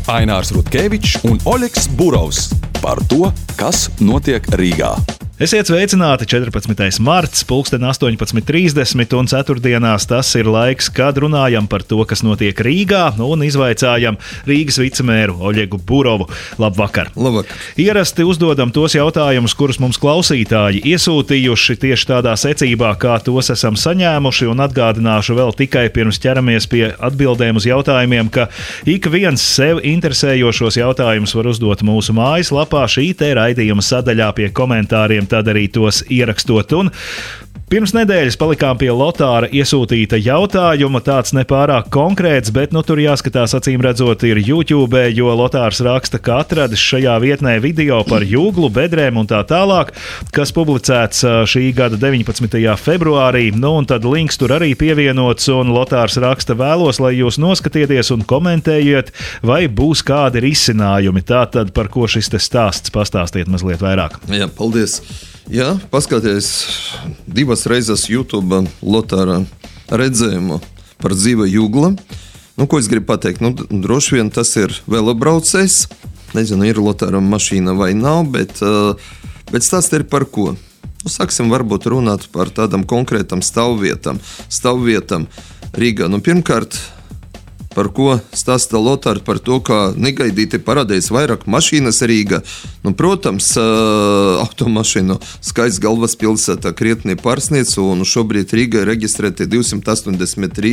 Ainārs Rutkevičs un Oļegs Burovs par to, kas notiek Rīgā. Esiet sveicināti 14. marts, 18:30 un ceturtdienās tas ir laiks, kad runājam par to, kas notiek Rīgā un izvaicājam Rīgas vicemēru Oļegu Burovu. Labvakar! Labvakar! Ierasti uzdodam tos jautājumus, kurus mums klausītāji iesūtījuši tieši tādā secībā, kā tos esam saņēmuši, un atgādināšu vēl tikai pirms ķeramies pie atbildēm uz jautājumiem, ka ik viens sev interesējošos jautājumus var uzdot mūsu mājaslapā šī te raidījuma sadaļā pie komentāriem. Tad arī tos ierakstot. Un pirms nedēļas palikām pie Lotāra iesūtīta jautājuma, tāds nepārāk konkrēts, bet tur jāskatās acīm redzot ir YouTube, jo Lotārs raksta, ka atradis šajā vietnē video par jūglu, bedrēm un tā tālāk, kas publicēts šī gada 19. februārī, un tad links tur arī pievienots, un Lotārs raksta, vēlos, lai jūs noskatieties un komentējiet, vai būs kādi risinājumi. Tātad, par ko šis te stāsts, pastāstiet mazliet vairāk. Jā, paldies! Jā, paskaties divas reizes YouTube Lotāra redzējumu par dzīva jūgla. Ko es gribu pateikt? Droši vien tas ir velobraucējs. Nezinu, ir Lotāra mašīna vai nav, bet stāsts ir par ko? Sāksim varbūt runāt par tādam konkrētam stāvvietam Rīgā. Pirmkārt, par ko stāsta Lotārs, par to, ka negaidīti parādījās vairāk mašīnas Rīgā. Protams, automašīnu skaits galvaspilsētā krietni pārsniedz, un šobrīd Rīgā ir reģistrēti 283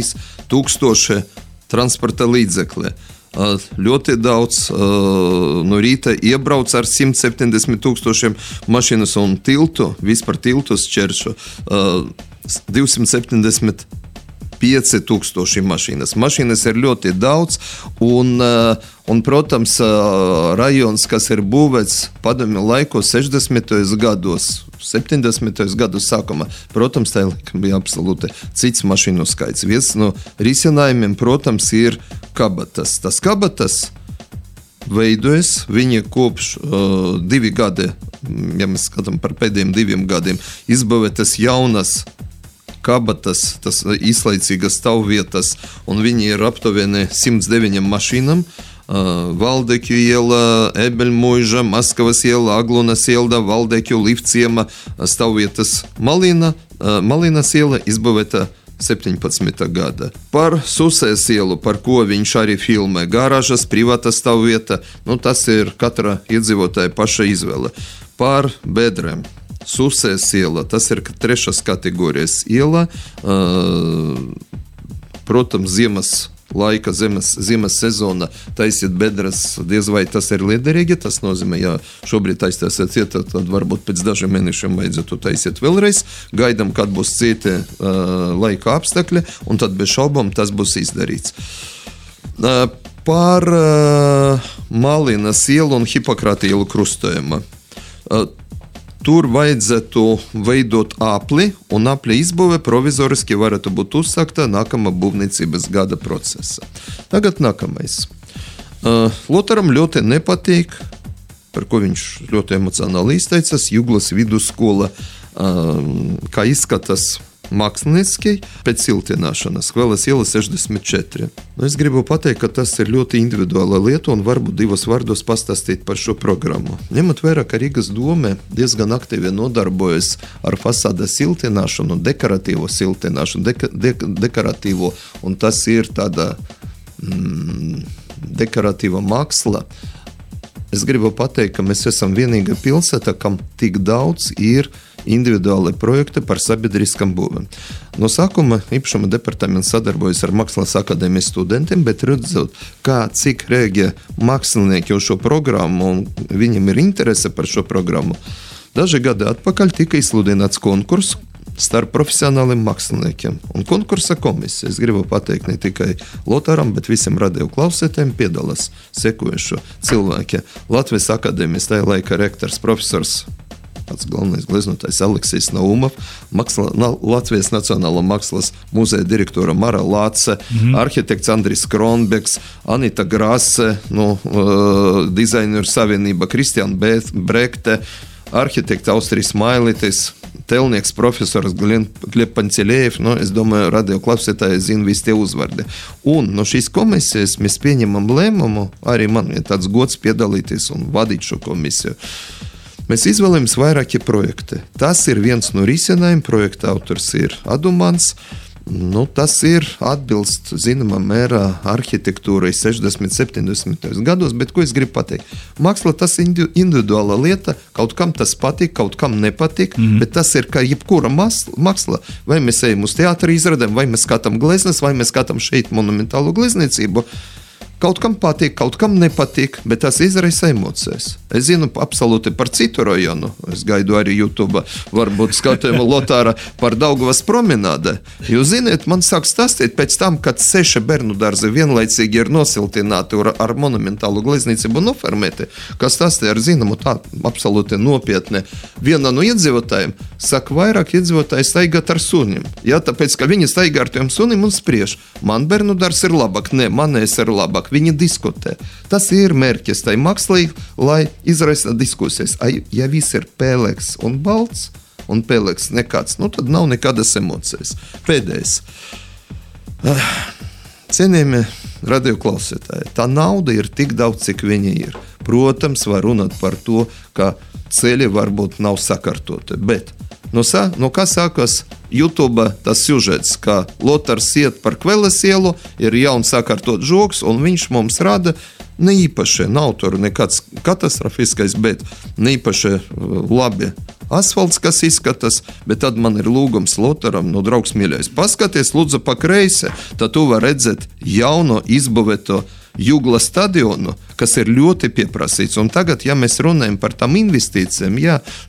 000 transporta līdzekļi. Ļoti daudz no rīta iebrauc ar 170 000 mašīnas un vispār tiltus šķēršo 275 000 mašīnas. Mašīnas ir ļoti daudz, un protams, rajons, kas ir būvēts padomju laikos 60. gados, 70. gadu sākumā, protams, tā bija absolūti cits mašīnu skaits. Viens no risinājumiem, protams, ir kabatas. Tas kabatas veidojas, viņi kopš 2 gadi, ja mēs skatām par pēdējiem 2 gadiem, izbūvētas jaunas kabatas, tas īslaicīgas stāvvietas, un viņi ir aptuveni 109 mašīnām. Valdekju iela, Ebeļmuiža, Maskavas iela, Aglunas iela, Valdekju, Livciema, stāvvietas Malinas iela izbūvēta 17. gada. Par Susēs ielu, par ko viņš arī filmē, garāžas, privāta stāvvieta, tas ir katra iedzīvotāja paša izvēle. Par bedrēm. Susēs iela, tas ir 3. kategorijas iela. Protams, ziemas sezona taisiet bedres, diez vai tas ir liederīgi. Tas nozīmē, ja šobrīd taisīsiet cieta, tad varbūt pēc dažiem mēnešiem vajadzētu taisiet vēlreiz. Gaidām, kad būs citi laika apstākļi, un tad bez šaubām tas būs izdarīts. Par Malinas ielu un Hipokrata ielu krustojuma. Tur vajadzētu veidot apli, un apli izbūve provizoriski varētu būt uzsākta nākamā būvniecības gada procesa. Tagad nākamais. Lotāram ļoti nepatīk, par ko viņš ļoti emocionāli izteicās, Jūglas vidusskola, kā izskatās mākslinieki pēc siltināšanas, Kveles iela 64. Es gribu pateikt, ka tas ir ļoti individuāla lieta, un varbūt 2 vārdos pastāstīt par šo programmu. Ņemot vērā, ka Rīgas dome diezgan aktīvi nodarbojas ar fasādes siltināšanu, dekoratīvo siltināšanu, dekoratīvo, un tas ir tāda dekoratīva māksla. Es gribu pateikt, ka mēs esam vienīga pilsēta, kam tik daudz ir individuāli projekti par sabiedriskam būvēm. No sākuma īpašuma departaments sadarbojas ar Mākslas akadēmijas studentiem, bet redzot, cik rēģē mākslinieki uz šo programmu un viņiem ir interese par šo programmu. Daži gadi atpakaļ tika izsludināts konkurss starp profesionāliem māksliniekiem. Un konkursa komisija, es gribu pateikt ne tikai Lotāram, bet visiem radio klausētājiem piedalās sekojušo cilvēki. Latvijas akadēmijas tajā laika rektors profesors, pats galvenais gleznotājs Aleksijs Naumov, Latvijas Nacionālā mākslas muzeja direktora Mara Lāce, arhitekts Andris Kronbeks, Anita Grase, dizaineru savienība Kristiāna Brekte, arhitekta Austrijas Mailitis, Telnieks profesors Gleb Paņceļējevs, es domāju, radioklausītāji zina visi tie uzvardi. Un no šīs komisijas mēs pieņemam lēmumu, arī man ir tāds gods piedalīties un vadīt šo komisiju. Mēs izvēlamies vairāki projekti. Tas ir viens no risinājumiem, projekta autors ir Adumans. Tas ir atbilst, zināmā mērā, arhitektūrai 60, 70. gados, bet ko es gribu pateikt? Māksla tas individuāla lieta, kaut kam tas patīk, kaut kam nepatīk, bet tas ir kā jebkura māksla. Vai mēs ejam uz teātra izradēm, vai mēs skatām gleznes, vai mēs skatām šeit monumentālu glezniecību. Kaut kam patīk, kaut kam nepatīk, bet tas izraisa emocijas. Es zinu absolūti par citu rajonu. Es gaidu arī YouTube, varbūt skatījumu Lotāra par Daugavas promenādē. Jūs ziniet, man sāk stāstīt pēc tam, kad 6 bērnu dārzi vienlaicīgi ir nosiltināti ar monumentālu glezniecību noformēti, kas stāstīja ar zināmu tā absolūti nopietni. Viena no iedzīvotājiem saka, vairāk iedzīvotāji staigāt ar sunim. Ja, tāpēc, ka viņi staigā ar tiem sunim un spriež. Man bērnu dārs ir labāk, ne, manējs ir labāk. Viņi diskutē. Tas ir mērķis tai mākslī, lai izraisa diskusijas. Ja viss ir pelēks un balts, un pelēks nekāds, tad nav nekādas emocijas. Pēdējais. Cienījamie radioklausītāji, tā nauda ir tik daudz, cik viņa ir. Protams, var runāt par to, ka ceļi varbūt nav sakārtoti, bet no kā sākas YouTube tas siužets, ka Lotars iet par Kveles ielu, ir jauns sakārtot žoks, un viņš mums rada ne īpaši, nav tur nekāds katastrofiskais, bet ne īpaši labi asfalts, kas izskatās, bet tad man ir lūgums Lotaram, draugs mīļais, paskaties, lūdzu, pa kreisi, tad tu var redzēt jauno izbūvēto Jugla stadionu, kas ir ļoti pieprasīts. Un tagad, ja mēs runājam par tām investīcijām,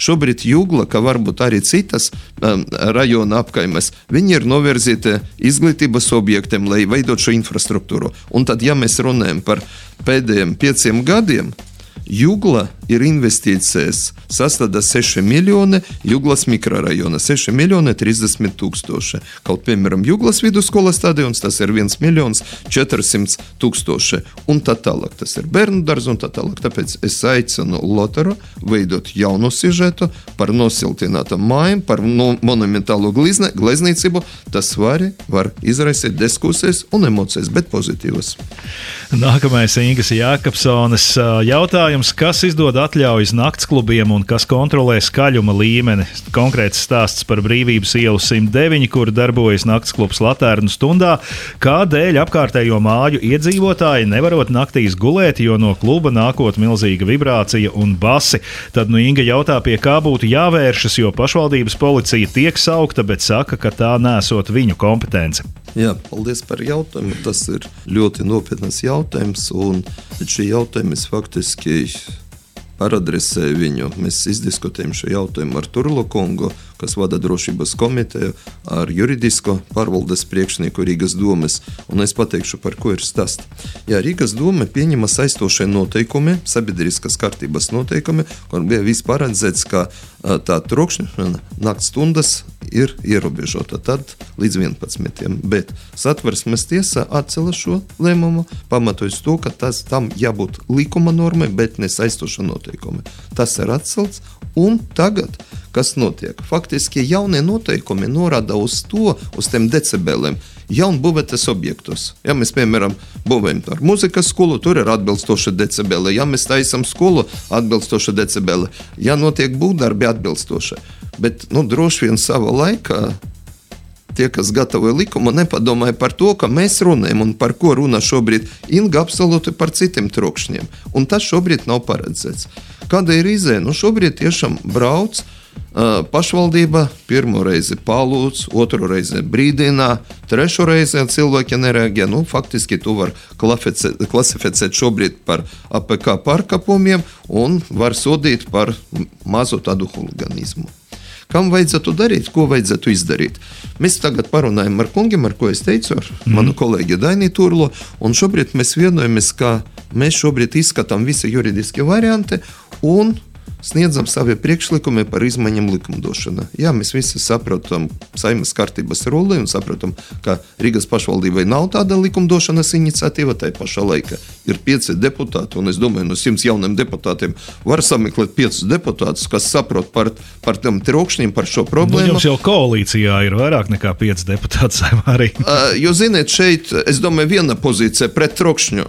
šobrīd Jugla, ka varbūt arī citas rajona apkaimes, viņi ir novirzīti izglītības objektiem, lai veidot šo infrastruktūru. Un tad, ja mēs runājam par pēdējiem 5 gadiem, Jugla ir investīcijas sastāda 6 miljoni, Juglas mikrorajona 6 miljoni 30 tūkstoši. Kaut, piemēram, Juglas vidusskolas stadions, tas ir 1 miljons 400 tūkstoši. Un tā tālāk, tas ir bērnu dārzu un tā tālāk. Tāpēc es aicinu Lotaru veidot jaunu sižetu par nosiltinātām mājām, par monumentālo glezniecību. Tas var izraisīt diskusijas un emocijas, bet pozitīvas. Nākamais Ingas Jākapsones jautājums. Kas izdod atļaujas naktsklubiem un kas kontrolē skaļuma līmeni? Konkrēts stāsts par Brīvības ielu 109, kur darbojas naktsklubs Latērnu stundā. Kādēļ apkārtējo māju iedzīvotāji nevarot naktīs gulēt, jo no kluba nākot milzīga vibrācija un basi? Tad Inga jautā, pie kā būtu jāvēršas, jo pašvaldības policija tiek saukta, bet saka, ka tā nesot viņu kompetence. Jā, paldies par jautājumu. Tas ir ļoti nopietnas jautājums, un šī jautājuma es faktiski paradresēju viņu. Mēs izdiskutējam šo jautājumu ar Turlo kungu, kas vada drošības komiteju, ar juridisko pārvaldes priekšnieku Rīgas domes, un es pateikšu, par ko ir stāsts. Jā, Rīgas dome pieņema saistošie noteikumi, sabiedriskas kārtības noteikumi, kur bija viss paredzēts, ka tā trokšņa nakts stundas ir ierobežota tad līdz 11. Bet Satversmes tiesa atcēla šo lēmumu, pamatojas to, ka tam jābūt likuma normai, bet ne saistoša noteikumi. Tas ir atcelts, un tagad, kas notiek? Faktiski jaunie noteikumi norāda uz tiem decibeliem, jaunbūvētas objektus. Ja mēs, piemēram, būvējam ar muzikas skolu, tur ir atbilstoši decibeli. Ja mēs taisam skolu, atbilstoši decibeli. Ja notiek būvdarbi, atbilstoši. Bet, droši vien savā laikā tie, kas gatavoja likumu, nepadomāja par to, ka mēs runājam un par ko runā šobrīd Inga absolūti par citiem trokšņiem. Un tas šobrīd nav paredzēts. Kāda ir izēja? Šobrīd tiešām brauc pašvaldība, pirmo reizi palūdz, otru reizi brīdinā, trešo reizi cilvēki nereaģē. Faktiski tu var klasificēt šobrīd par APK pārkāpumiem un var sodīt par mazu tādu huliganismu. Kam vajadzētu darīt, ko vajadzētu izdarīt? Mēs tagad parunājam ar kungiem, ar ko es teicu, ar manu kolēģi Daini Turlo, un šobrīd mēs vienojamies, ka mēs šobrīd izskatām visi juridiskie varianti un sniedzam savi priekšlikumi par izmaiņām likumdošanā. Jā, mēs visi saprotam Saeimas kārtības rulli un saprotam, ka Rīgas pašvaldībai nav tāda likumdošanas iniciatīva, tai pašā laikā ir 5 deputāti, un es domāju, no 100 jauniem deputātiem var sameklēt 5 deputātus, kas saprot par tiem trokšņiem, par šo problēmu. Jums jau koalīcijā ir vairāk nekā 5 deputāti Saeimā arī. Jo, ziniet, šeit, es domāju, viena pozīcija pret trokšņu.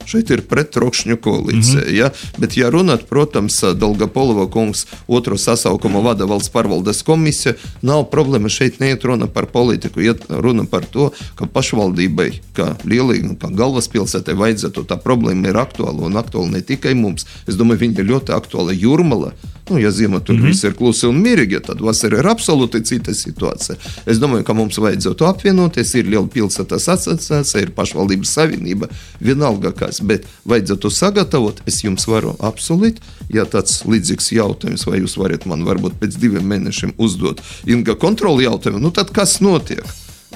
Šeit ir prettrokšņu koalīcija. Ja? Bet, ja runāt, protams, Dolgopolova kungs otro sasaukumu vada valsts pārvaldes komisija, nav problēma, šeit neiet runa par politiku, iet runa par to, ka pašvaldībai, kā lielīgi, kā galvaspilsētai vajadzētu, tā problēma ir aktuāla un aktuāla ne tikai mums. Es domāju, viņa ir ļoti aktuāla Jūrmala. Ja ziemā tur viss ir klusi un mierīgi, tad vasarā ir absolūti cita situācija. Es domāju, ka mums vajadzētu apvienoties, ir liela pilsētas asociācija, ir pašvaldības savienība, vienalga kas, bet vajadzētu sagatavot, es jums varu apsolīt, ja tāds līdzīgs jautājums, vai jūs varat man varbūt pēc 2 mēnešiem uzdot Inga kontroli jautājumu, tad kas notiek?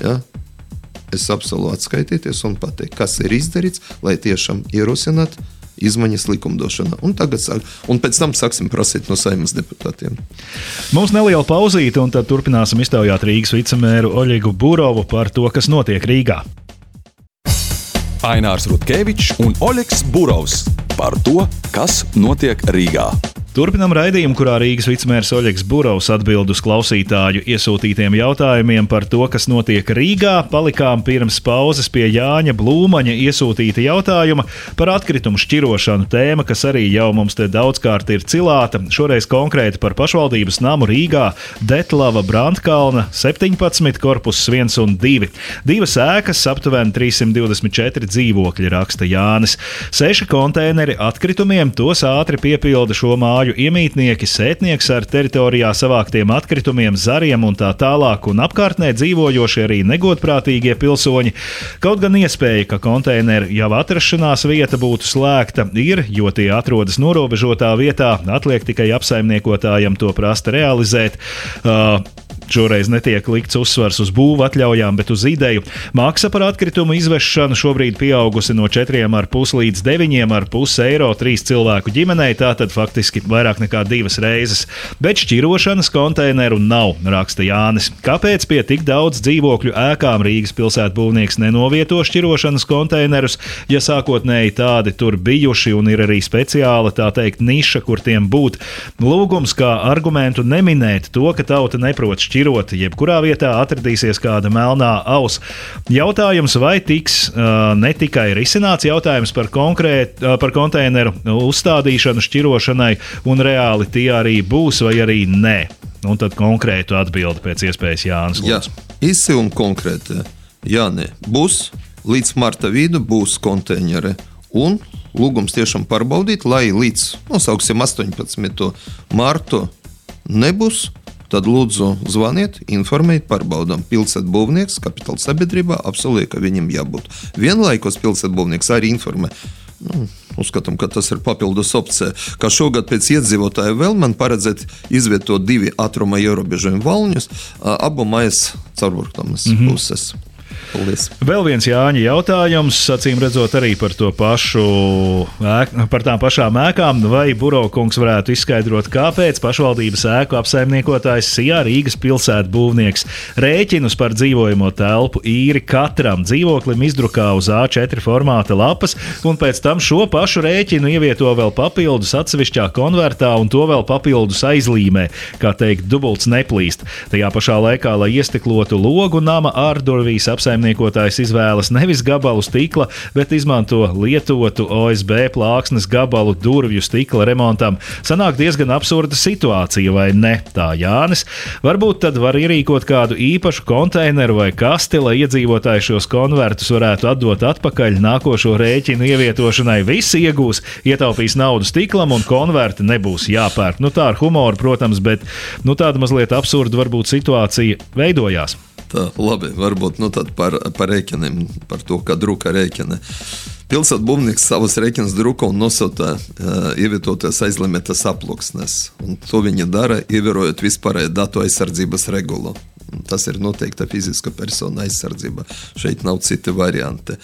Ja? Es apsolu atskaitīties un pateikt, kas ir izdarīts, lai tiešām ierosināt izmaiņas likumdošanā. Un pēc tam sāksim prasīt no Saeimas deputātiem. Mums neliela pauzīte, un tad turpināsim iztaujāt Rīgas vicemēru Oļegu Burovu par to, kas notiek Rīgā. Ainārs Rutkevičs un Oļegs Burovs par to, kas notiek Rīgā. Turpinam raidījumu, kurā Rīgas vicemērs Oļegs Burovs atbild uz klausītāju iesūtītiem jautājumiem par to, kas notiek Rīgā. Palikām pirms pauzes pie Jāņa Blūmaņa iesūtīta jautājuma par atkritumu šķirošanu, tēma, kas arī jau mums te daudzkārt ir cilāta. Šoreiz konkrēti par pašvaldības namu Rīgā, Detlava Brandkalna 17, korpuss 1 un 2. 2 ēkas, aptuveni 324 dzīvokļi, raksta Jānis. 6 konteineri atkritumiem, tos ātri piepilda šo māju iemītnieki, sētnieks ar teritorijā savāktiem atkritumiem, zariem un tā tālāk, un apkārtnē dzīvojoši arī negodprātīgie pilsoņi. Kaut gan iespēja, ka konteineru jau atrašanās vieta būtu slēgta, ir, jo tie atrodas norobežotā vietā, atliek tikai apsaimniekotājam to prast realizēt. Šoreiz netiek likts uzsvars uz būvu atļaujām, bet uz ideju. Maksa par atkritumu izvešanu šobrīd pieaugusi no 4,5 līdz 9,5 eiro 3 cilvēku ģimenei, tātad faktiski vairāk nekā 2 reizes. Bet šķirošanas konteineru nav, raksta Jānis. Kāpēc pie tik daudz dzīvokļu ēkām Rīgas pilsētbūvnieks nenovieto šķirošanas konteinerus, ja sākotnēji tādi tur bijuši un ir arī speciāla, tā teikt, niša, kur tiem būt? Lūgums kā argumentu neminēt to, ka tauta neprot šķirot, jebkurā vietā atradīsies kāda melnā aus. Jautājums, vai tiks ne tikai risināts jautājums par konteineru uzstādīšanu šķirošanai, un reāli tie arī būs, vai arī nē. Un tad konkrētu atbildi pēc iespējas Jānis. Jā, īsi un konkrēti. Jā, nē. Būs, līdz marta vidu būs konteineri. Un lūgums tiešām pārbaudīt, lai līdz, nosauksim 18. martu nebūs. Tad lūdzu zvaniet, informējiet, pārbaudām. Pilsētbūvnieks, kapitāla sabiedrībā apsolīja, ka viņam jābūt. Vienlaikus pilsētbūvnieks arī informē. Uzskatām, ka tas ir papildus opcija. Kā šogad pēc iedzīvotāju vēl man paredzēt izvietot 2 ātruma ierobežojumu valņus, abu mājas caurburtamas puses. Paldies. Vēl viens Jāņa jautājums, acīm redzot arī par to pašu, par tām pašām ēkām. Vai Burovkungs varētu izskaidrot, kāpēc pašvaldības ēku apsaimniekotājs Sijā Rīgas pilsētbūvnieks rēķinus par dzīvojamo telpu īri katram dzīvoklim izdrukā uz A4 formāta lapas, un pēc tam šo pašu rēķinu ievieto vēl papildus atsevišķā konvertā un to vēl papildus aizlīmē, kā teikt, dubults neplīst. Tajā pašā laikā, lai iestiklotu logu nama ārdurvīs, apsaimniekotājs izvēlas nevis gabalu stikla, bet izmanto lietotu OSB plāksnes gabalu durvju stikla remontam. Sanāk diezgan absurda situācija, vai ne? Tā Jānis. Varbūt tad var ierīkot kādu īpašu konteineru vai kasti, lai iedzīvotāji šos konvertus varētu atdot atpakaļ nākošo rēķinu ievietošanai. Visi iegūs, ietaupīs naudu stiklam un konverti nebūs jāpērk. Tā ar humoru, protams, bet tāda mazliet absurda varbūt situācija veidojās. Tā, labi, varbūt tad par rēķiniem, par to, kā druka rēķini. Pilsētbūvnieks savus rēķinus druka un nosūta ievietoties aizlimētas aploksnes. Un to viņi dara, ievērojot vispārēju datu aizsardzības regulu. tas ir noteikta fiziska persona aizsardzība. Šeit nav citi varianti.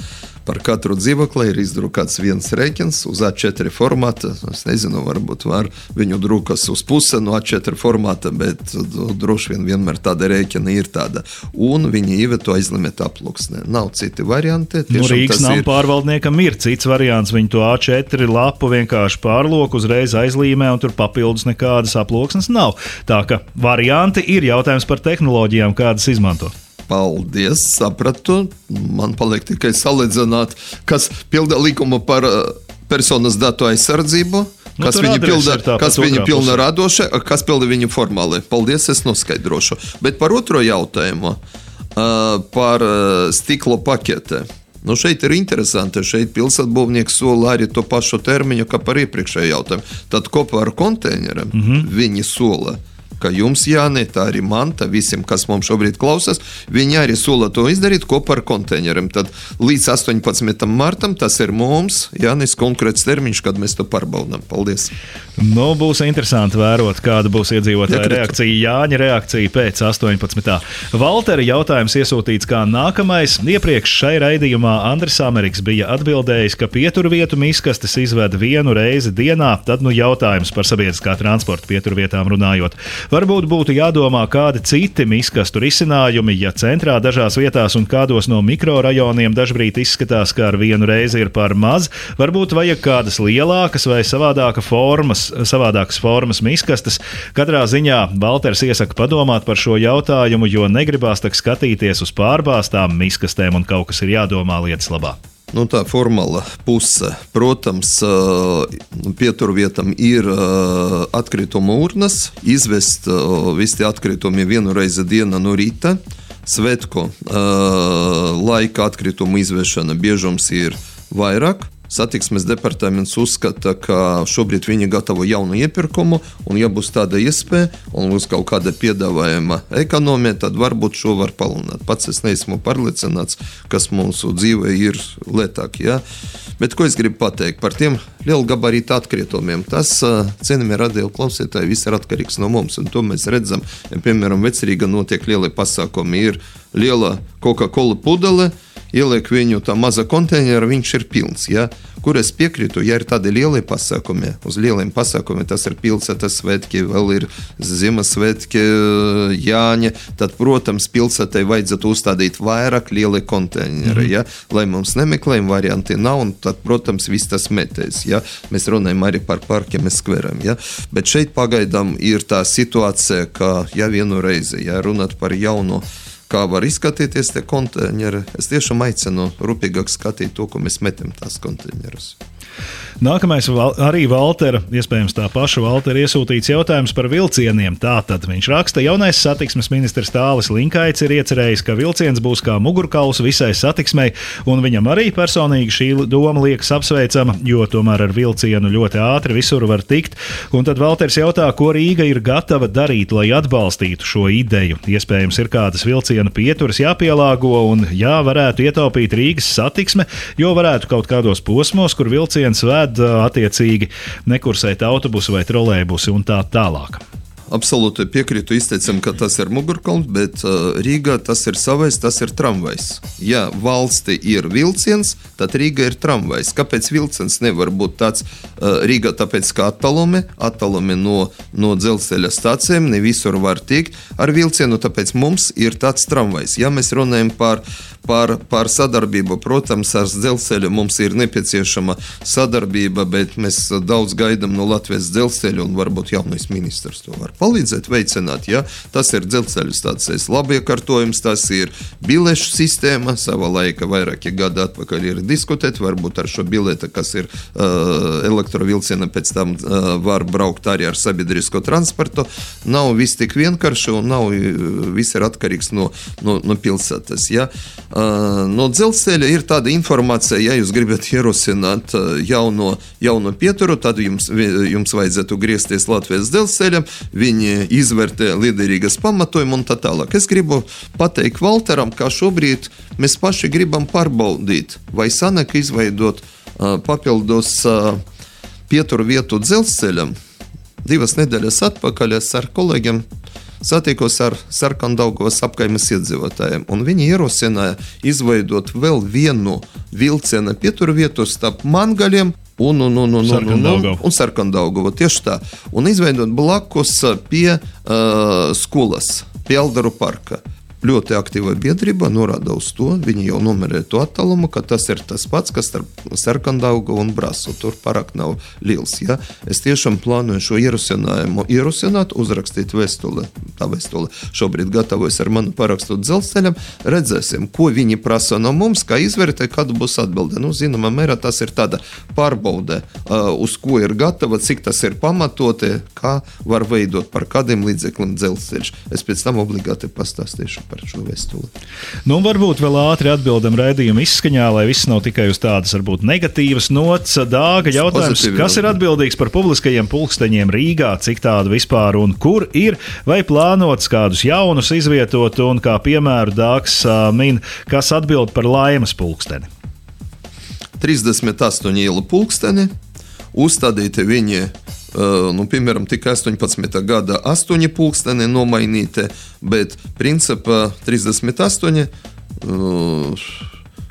Par katru dzīvokli ir izdrukāts viens rēķins uz A4 formāta. Es nezinu, varbūt var viņu drukas uz puse no A4 formāta, bet droši vien vienmēr tāda rēķina ir tāda. Un viņi ieveto aizlimeta aploksnē. Nav citi varianti. Rīgas nama pārvaldniekam ir cits variants. Viņi to A4 lapu vienkārši pārlok, uzreiz aizlīmē un tur papildus nekādas aploksnes nav. Tā ka varianti ir, jautājums par tehnoloģijām, kādas izmantot. Paldies, sapratu. Man paliek tikai salīdzināt, kas pilda likumu par personas datu aizsardzību, kas viņi pilna radoši, kas pilda viņu formāli. Paldies, es noskaidrošu. Bet par otro jautājumu, par stikla pakete. Šeit ir interesanti, šeit pilsētbūvnieks sola arī to pašu termiņu, kā par iepriekšējo jautājumu. Tad kopā ar konteineriem viņi sola, ka jums, Jāni, tā arī man, tā visiem, kas mums šobrīd klausās, viņi arī sola to izdarīt kopā ar konteineriem. Tad līdz 18. martam tas ir mums, Jānis, konkrēts termiņš, kad mēs to pārbaudām. Paldies! Būs interesanti vērot, kāda būs iedzīvotāja reakcija. Jāņa reakcija pēc 18. Valtera jautājums iesūtīts kā nākamais. Iepriekš šai raidījumā Andris Ameriks bija atbildējis, ka pieturvietu miskastes izved vienu reizi dienā. Tad jautājums par sabiedriskā transporta pieturvietām runājot. Varbūt būtu jādomā kādi citi miskastu risinājumi, ja centrā dažās vietās un kādos no mikrorajoniem dažbrīd izskatās, ka ar vienu reizi ir par maz. Varbūt vajag kādas lielākas vai savādākas formas miskastes. Katrā ziņā Valters iesaka padomāt par šo jautājumu, jo negribās tak skatīties uz pārbāstām miskastēm un kaut kas ir jādomā lietas labā. Tā formāla puse. Protams, pieturvietam ir atkrituma urnas, izvest visi atkritumi vienu reizi dienu no rīta. Svētku laika atkritumu izvešana biežums ir vairāk. Satiksmes departaments uzskata, ka šobrīd viņi gatavo jaunu iepirkumu, un ja būs tāda iespēja, un būs kaut kāda piedāvājuma ekonomija, tad varbūt šo var palielināt. Pats es neesmu pārliecināts, kas mūsu dzīvē ir lētāk. Ja? Bet ko es gribu pateikt par tiem lielgabarīta atkritumiem? Tas, cienījamie radio klausītāji, viss ir atkarīgs no mums, un to mēs redzam. Ja, piemēram, Vecrīgā notiek lielie pasākumi, ir liela Coca-Cola pudele, ieliek viņu tā maza konteinera, viņš ir pilns. Ja? Kur es piekrītu, ja ir tādi lielie pasākumi, uz lieliem pasākumiem, tas ir pilsētas svētki, vēl ir Ziemassvētki, Jāņa, tad, protams, pilsētai vajadzētu uzstādīt vairāk lieli konteineri, ja? Lai mums nemeklējumi varianti nav, un tad, protams, viss tas metēs. Ja? Mēs runājam arī par parkiem un skveriem. Ja? Bet šeit pagaidām ir tā situācija, ka ja vienu reizi, ja runāt par jaunu, kā var izskatīties tie konteineri, es tiešām aicinu rūpīgāk skatīt to, ko mēs metam tās konteinerus. Nākamais arī Valtera, iespējams tā paša Valtera iesūtīts jautājums par vilcieniem. Tātad viņš raksta, jaunais satiksmes ministrs Tālis Linkaits ir iecerējis, ka vilciens būs kā mugurkauls visai satiksmei, un viņam arī personīgi šī doma liekas apsveicama, jo tomēr ar vilcienu ļoti ātri visur var tikt. Un tad Valters jautā, ko Rīga ir gatava darīt, lai atbalstītu šo ideju. Iespējams ir kādas vilciena pieturas jāpielāgo un varētu ietaupīt Rīgas satiksme, jo varētu kaut kādos posmos, kur vilciens vēd attiecīgi nekursēt autobusu vai trolejbusi un tā tālāk. Absolūti piekrītu izteicam, ka tas ir mugurkauls, bet Rīgā tas ir savais, tas ir tramvajs. Ja valsti ir vilciens, tad Rīga ir tramvajs. Kāpēc vilciens nevar būt tāds Rīgā? Tāpēc, ka attālumi no dzelzceļa stācijiem ne visur var tikt ar vilcienu, tāpēc mums ir tāds tramvajs. Ja mēs runājam par sadarbību, protams, ar dzelzceļu mums ir nepieciešama sadarbība, bet mēs daudz gaidām no Latvijas dzelzceļa, un varbūt jaunais ministrs to var palīdzēt veicināt. Ja? Tas ir dzelzceļu stācijas labiekārtojums, tas ir bilešu sistēma, savā laika vairāki gadi atpakaļ ir diskutēt, varbūt ar šo bileti, kas ir elektrovilciena, pēc tam var braukt arī ar sabiedrisko transportu. Nav viss tik vienkārši un nav viss ir atkarīgs no pilsētas. Ja? No dzelzceļa ir tāda informācija, ja jūs gribat ierosināt jauno pieturu, tad jums vajadzētu griezties Latvijas dzelzceļam, viņi izvērtē liederīgas pamatojumu un tā tālāk. Es gribu pateikt Valteram, ka šobrīd mēs paši gribam pārbaudīt, vai sanāk izveidot papildus pieturu vietu dzelzceļam. 2 nedēļas atpakaļ es ar kolēģiem satikos ar Sarkandaugavas apkaimes iedzīvotājiem, un viņi ierosināja izveidot vēl vienu vilciena pieturvietu starp Mangaļiem un Sarkandaugavu. Tieši tā. Un izveidot blakus pie skolas, pie Aldaru parka. Ļoti aktīva biedrība norāda uz to, viņi jau numerē to attālumu, ka tas ir tas pats, kas starp Sarkandaugavu un Brasu. Tur parāk nav liels. Ja? Es tiešām plānoju šo ierosinājumu ierosināt, uzrakstīt vēstuli. Tā vēstule šobrīd gatavojas ar manu parakstu dzelzceļam. Redzēsim, ko viņi prasa no mums, kā izvērtē, kāda būs atbilde. Zināmā mērā tas ir tāda pārbaude, uz ko ir gatava, cik tas ir pamatoti, kā var veidot par kādiem līdzekļiem dzelzceļš. Es pēc tam obligāti pastāstīšu par šo vēstuli. Varbūt vēl ātri atbildam raidījuma izskaņā, lai viss nav tikai uz tādas, varbūt negatīvas nots. Dāga jautājums, kas ir atbildīgs par publiskajiem pulksteņiem Rīgā, cik tādu vispār un kur ir, vai plānots kādus jaunus izvietot, un kā piemēru Dāgs min, kas atbild par Laimas pulksteni? 38 ielu pulksteni, uzstādīti viņi piemēram, tikai 18. gada 8 pulksteni nomainīti, bet principā 38,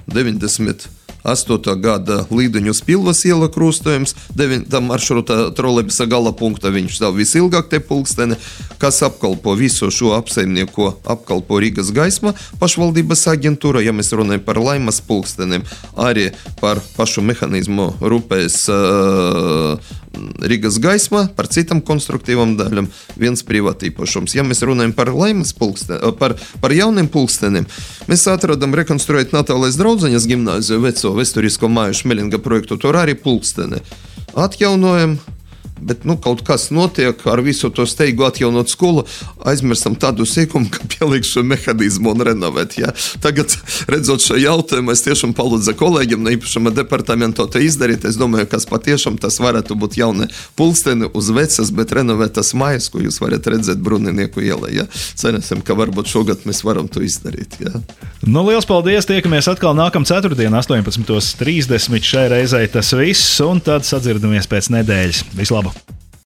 98. gada Līduņus Pilvas iela krustojums, 9. maršruta trolejbusa gala punkta viņš stāv visilgāk te pulksteni, kas apkalpo visu šo apsaimnieku, apkalpo Rīgas gaisma pašvaldības aģentūra, ja mēs runājam par Laimas pulksteniem, arī par pašu mehanizmu rūpēs Rīgas gaisma, par citām konstruktīvām daļām, viens privātīpašums. Ja mēs runājam par Laimas pulksteniem, par jauniem pulksteniem, mēs atradam rekonstruēt Natālijas draudzeņas gimnāziju veco vēsturisko māju Šmelinga projektu, tur arī pulksteni atjaunojam. Bet kaut kas notiek ar visu to steigu atjaunot skolu, aizmirstam tādu sīkumu, ka pielikt šo mehānismu un renovēt. Ja? Tagad, redzot šo jautājumu, es tiešām palūdzu kolēģiem no īpašuma departamento te izdarīt. Es domāju, kas patiešām tas varētu būt jauni pulksteni uz vecas, bet renovētas mājas, ko jūs varat redzēt Bruninieku ielā. Ja? Cerēsim, ka varbūt šogad mēs varam to izdarīt. Ja? Liels paldies! Tiekamies atkal nākamā ceturtdiena 18:30. Šai reizei tas viss, un tad sadzirdamies pēc nedēļas. Vislabāk!